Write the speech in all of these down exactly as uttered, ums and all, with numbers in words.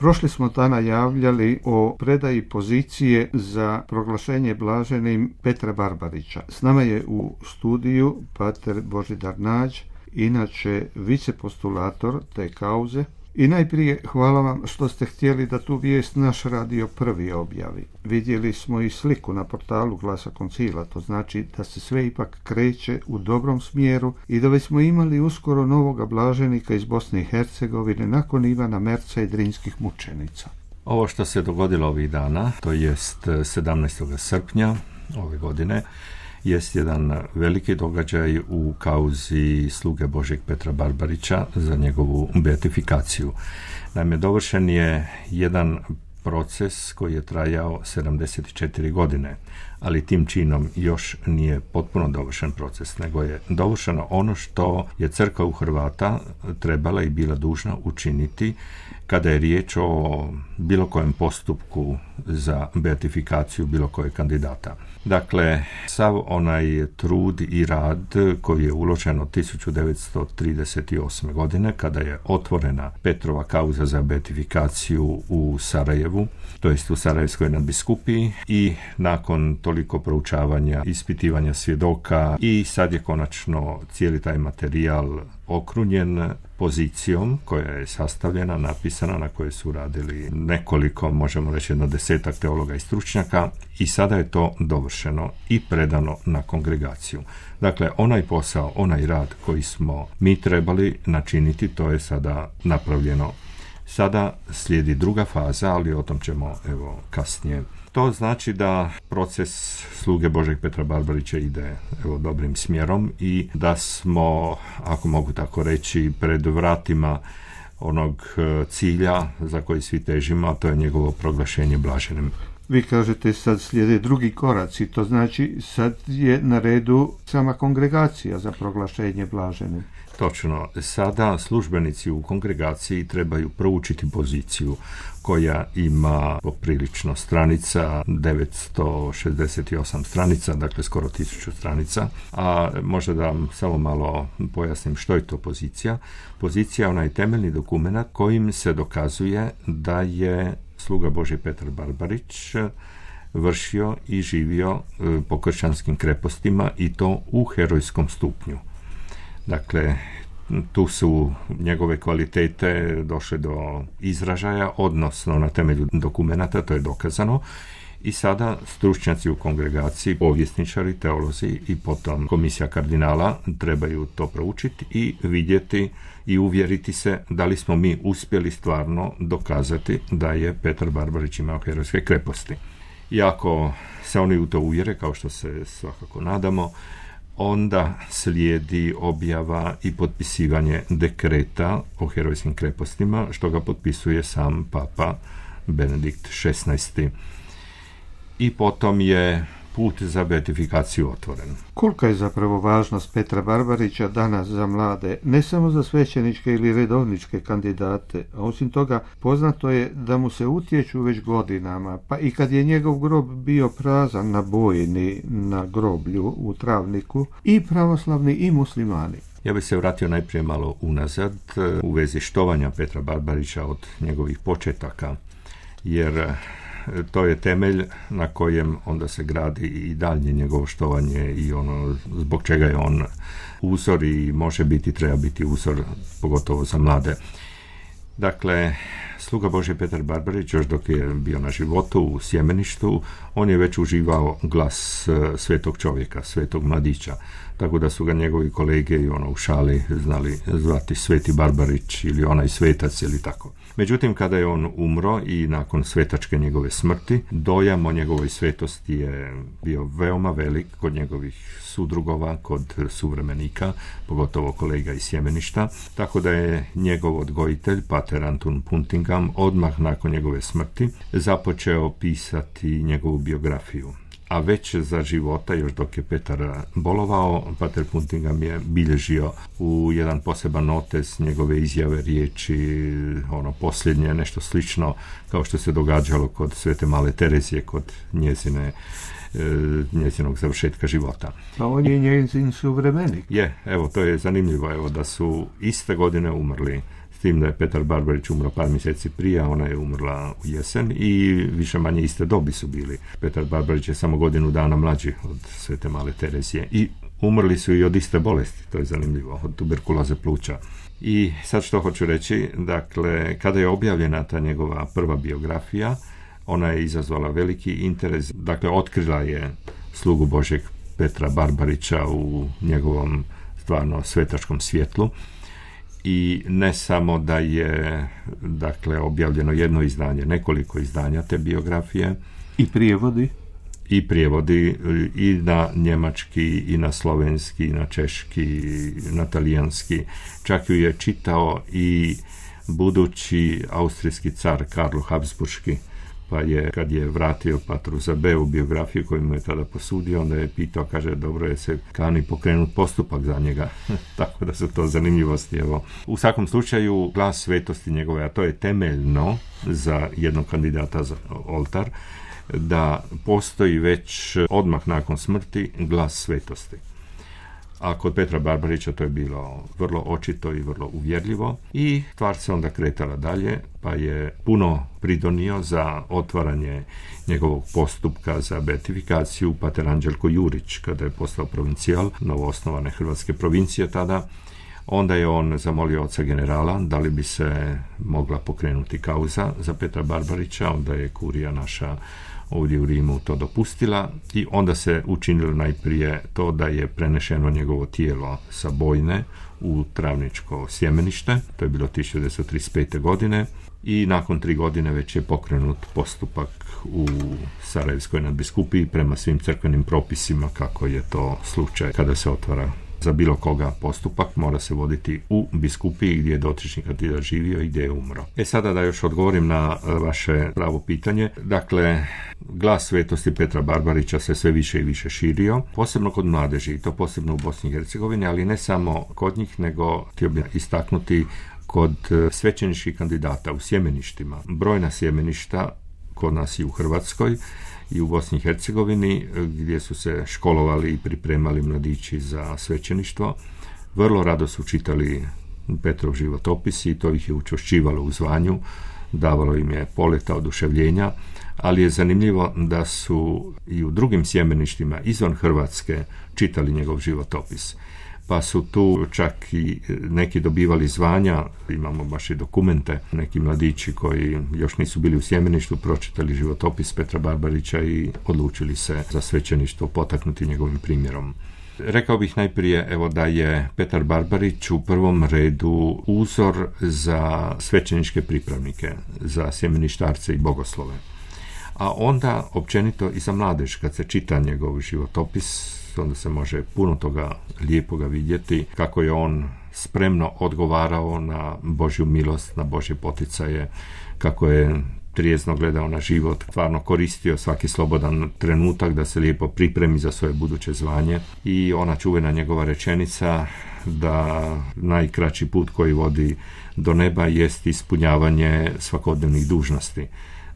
Prošli smo dana javljali o predaji pozicije za proglašenje blaženim Petra Barbarića. S nama je u studiju pater Božidar Nađ, inače vicepostulator te kauze. I najprije hvala vam što ste htjeli da tu vijest naš radio prvi objavi. Vidjeli smo i sliku na portalu Glasa Koncila, to znači da se sve ipak kreće u dobrom smjeru i da već smo imali uskoro novoga blaženika iz Bosne i Hercegovine nakon Ivana Merca i Drinskih mučenica. Ovo što se dogodilo ovih dana, to jest sedamnaestog srpnja ove godine, jest jedan veliki događaj u kauzi sluge Božjeg Petra Barbarića za njegovu beatifikaciju. Naime, dovršen je jedan proces koji je trajao sedamdeset četiri godine, ali tim činom još nije potpuno dovršen proces, nego je dovršeno ono što je crkva u Hrvata trebala i bila dužna učiniti kada je riječ o bilo kojem postupku za beatifikaciju bilo kojeg kandidata. Dakle, sav onaj trud i rad koji je uložen od tisuću devetsto trideset osme. godine kada je otvorena Petrova kauza za beatifikaciju u Sarajevu, to jest u Sarajevskoj nadbiskupiji, i nakon toliko proučavanja, ispitivanja svjedoka i sad je konačno cijeli taj materijal okrunjen pozicijom koja je sastavljena, napisana, na kojoj su radili nekoliko, možemo reći jedno desetak teologa i stručnjaka, i sada je to dovršeno i predano na kongregaciju. Dakle, onaj posao, onaj rad koji smo mi trebali načiniti, to je sada napravljeno. Sada slijedi druga faza, ali o tom ćemo evo kasnije. To znači da proces sluge Božeg Petra Barbarića ide evo dobrim smjerom i da smo, ako mogu tako reći, pred vratima onog cilja za koji svi težimo, a to je njegovo proglašenje blaženim. Vi kažete sad slijede drugi koraci, to znači sad je na redu sama kongregacija za proglašenje blaženim. Točno, sada službenici u kongregaciji trebaju proučiti poziciju koja ima poprilično stranica, devetsto šezdeset osam stranica, dakle skoro tisuću stranica, a možda da vam samo malo pojasnim što je to pozicija. Pozicija je onaj temeljni dokument kojim se dokazuje da je sluga Božji Petar Barbarić vršio i živio po kršćanskim krepostima i to u herojskom stupnju. Dakle, tu su njegove kvalitete došle do izražaja, odnosno na temelju dokumenata, to je dokazano, i sada stručnjaci u kongregaciji, povjesničari, teolozi i potom komisija kardinala trebaju to proučiti i vidjeti i uvjeriti se da li smo mi uspjeli stvarno dokazati da je Petar Barbarić imao herojske kreposti. I ako se oni u to uvjere, kao što se svakako nadamo, onda slijedi objava i potpisivanje dekreta o herojskim krepostima, što ga potpisuje sam papa Benedikt šesnaesti. I potom je put za beatifikaciju otvoren. Kolika je zapravo važnost Petra Barbarića danas za mlade, ne samo za svećeničke ili redovničke kandidate, a osim toga poznato je da mu se utječu već godinama, pa i kad je njegov grob bio prazan na bojni na groblju u Travniku, i pravoslavni i muslimani. Ja bih se vratio najprije malo unazad u vezi štovanja Petra Barbarića od njegovih početaka, jer to je temelj na kojem onda se gradi i daljnje njegovo štovanje i ono zbog čega je on uzor i može biti, treba biti uzor, pogotovo za mlade. Dakle, sluga Božji Petar Barbarić, još dok je bio na životu u sjemeništu, on je već uživao glas svetog čovjeka, svetog mladića, tako da su ga njegovi kolege i ono u šali znali zvati Sveti Barbarić ili onaj svetac ili tako. Međutim, kada je on umro i nakon svetačke njegove smrti, dojam o njegovoj svetosti je bio veoma velik kod njegovih sudrugova, kod suvremenika, pogotovo kolega iz sjemeništa, tako da je njegov odgojitelj, pater Antun Puntingham, odmah nakon njegove smrti započeo pisati njegovu biografiju. A već za života, još dok je Petar bolovao, pater Puntingham je bilježio u jedan poseban notes njegove izjave, riječi, ono posljednje, nešto slično kao što se događalo kod Svete Male Terezije, kod njezine njezinog završetka života. Pa on je njezin suvremenik. Je, evo, to je zanimljivo, evo, da su iste godine umrli tim da je Petar Barbarić umro par mjeseci prije, a ona je umrla u jesen i više manje iste dobi su bili. Petar Barbarić je samo godinu dana mlađi od Svete Male Terezije i umrli su i od iste bolesti, to je zanimljivo, od tuberkuloze pluća. I sad što hoću reći, dakle, kada je objavljena ta njegova prva biografija, ona je izazvala veliki interes, dakle, otkrila je slugu Božjeg Petra Barbarića u njegovom stvarno svetačkom svjetlu. I ne samo da je, dakle, objavljeno jedno izdanje, nekoliko izdanja te biografije. I prijevodi? I prijevodi i na njemački, i na slovenski, i na češki, i na talijanski. Čak ju je čitao i budući austrijski car Karlo Habsburški, pa je, kad je vratio Patru Zabeu biografiju koju mu je tada posudio, onda je pitao, kaže, dobro je se kani pokrenut postupak za njega. Tako da su to zanimljivosti. Evo. U svakom slučaju, glas svetosti njegove, a to je temeljno za jednog kandidata za oltar, da postoji već odmah nakon smrti glas svetosti. A kod Petra Barbarića to je bilo vrlo očito i vrlo uvjerljivo i stvar se onda kretala dalje, pa je puno pridonio za otvaranje njegovog postupka za beatifikaciju pater Anđelko Jurić, kada je postao provincijal novoosnovane hrvatske provincije tada. Onda je on zamolio oca generala da li bi se mogla pokrenuti kauza za Petra Barbarića, onda je kurija naša ovdje u Rimu to dopustila i onda se učinilo najprije to da je prenešeno njegovo tijelo sa Bojne u Travničko sjemenište, to je bilo tisuću devetsto trideset pete. godine i nakon tri godine već je pokrenut postupak u Sarajevskoj nadbiskupiji prema svim crkvenim propisima, kako je to slučaj kada se otvara za bilo koga postupak, mora se voditi u biskupiji gdje je dotični kandidat živio i gdje je umro. E sada da još odgovorim na vaše pravo pitanje. Dakle, glas svetosti Petra Barbarića se sve više i više širio, posebno kod mladeži, to posebno u Bosni i Hercegovini, ali ne samo kod njih, nego htio bih istaknuti kod svećeničkih kandidata u sjemeništima. Brojna sjemeništa kod nas i u Hrvatskoj i u Bosni i Hercegovini, gdje su se školovali i pripremali mladići za svećeništvo, vrlo rado su čitali Petrov životopis i to ih je učvršćivalo u zvanju, davalo im je poleta oduševljenja, ali je zanimljivo da su i u drugim sjemeništima izvan Hrvatske čitali njegov životopis. Pa su tu čak i neki dobivali zvanja, imamo baš i dokumente, neki mladići koji još nisu bili u sjemeništu, pročitali životopis Petra Barbarića i odlučili se za svećeništvo potaknuti njegovim primjerom. Rekao bih najprije evo da je Petar Barbarić u prvom redu uzor za svećeničke pripravnike, za sjemeništarce i bogoslove. A onda općenito i za mladež, kad se čita njegov životopis, onda se može puno toga lijepoga vidjeti, kako je on spremno odgovarao na Božju milost, na Božje poticaje, kako je trijezno gledao na život, stvarno koristio svaki slobodan trenutak da se lijepo pripremi za svoje buduće zvanje. I ona čuvena njegova rečenica da najkraći put koji vodi do neba jest ispunjavanje svakodnevnih dužnosti.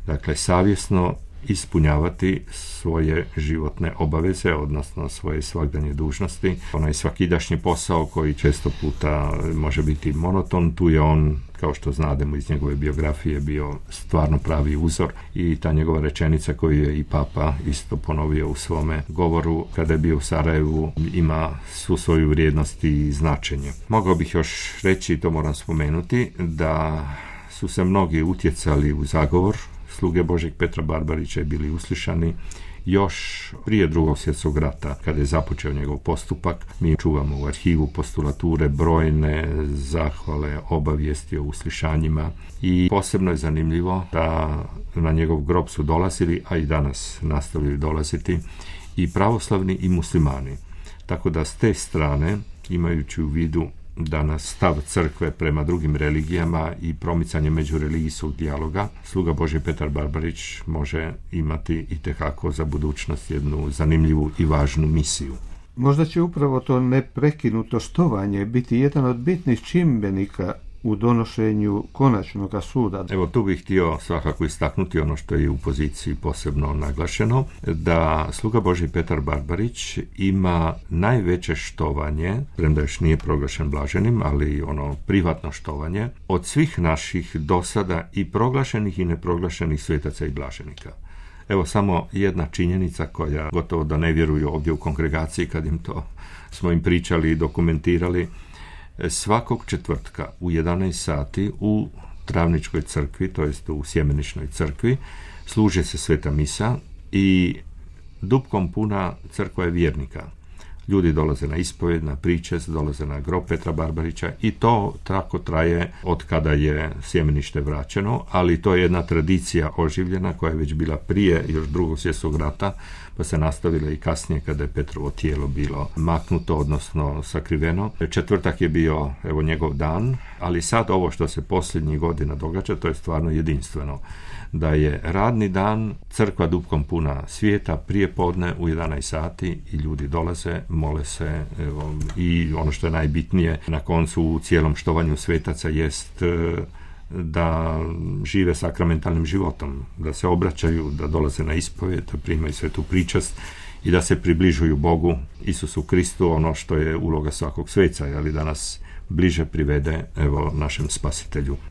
Dakle, savjesno ispunjavati svoje životne obaveze, odnosno svoje svagdanje dužnosti. Onaj svakidašnji posao koji često puta može biti monoton, tu je on, kao što znademo iz njegove biografije, bio stvarno pravi uzor i ta njegova rečenica koju je i Papa isto ponovio u svome govoru kada je bio u Sarajevu ima svu svoju vrijednost i značenje. Mogao bih još reći, to moram spomenuti, da su se mnogi utjecali u zagovor sluge Božeg Petra Barbarića i bili uslišani još prije drugog svjetskog rata, kada je započeo njegov postupak. Mi čuvamo u arhivu postulature brojne zahvale, obavijesti o uslišanjima i posebno je zanimljivo da na njegov grob su dolazili, a i danas nastavljaju dolaziti, i pravoslavni i muslimani. Tako da s te strane, imajući u vidu danas stav crkve prema drugim religijama i promicanje međureligijskog dijaloga, sluga Božji Petar Barbarić može imati itekako za budućnost jednu zanimljivu i važnu misiju. Možda će upravo to neprekinuto štovanje biti jedan od bitnih čimbenika u donošenju konačnog suda. Evo tu bih htio svakako istaknuti ono što je u poziciji posebno naglašeno, da sluga Božji Petar Barbarić ima najveće štovanje, premda još nije proglašen blaženim, ali ono privatno štovanje, od svih naših dosada i proglašenih i neproglašenih svetaca i blaženika. Evo samo jedna činjenica koja gotovo da ne vjeruju ovdje u kongregaciji kad im to smo im pričali i dokumentirali. Svakog četvrtka u jedanaest sati u Travničkoj crkvi, to jest u Sjemeničnoj crkvi, služe se sveta misa i dupkom puna crkva je vjernika. Ljudi dolaze na ispovjed, na pričest, dolaze na grob Petra Barbarića i to tako traje od kada je sjemenište vraćeno, ali to je jedna tradicija oživljena koja je već bila prije još drugog svjetskog rata, pa se nastavila i kasnije kada je Petrovo tijelo bilo maknuto, odnosno sakriveno. Četvrtak je bio evo njegov dan, ali sad ovo što se posljednjih godina događa, to je stvarno jedinstveno. Da je radni dan, crkva dupkom puna svijeta, prije podne u jedanaest sati i ljudi dolaze, mole se, evo, i ono što je najbitnije na koncu u cijelom štovanju svetaca jest da žive sakramentalnim životom, da se obraćaju, da dolaze na ispovjed, da primaju svetu pričast i da se približuju Bogu, Isusu Kristu, ono što je uloga svakog sveca, ali da nas bliže privede evo našem spasitelju.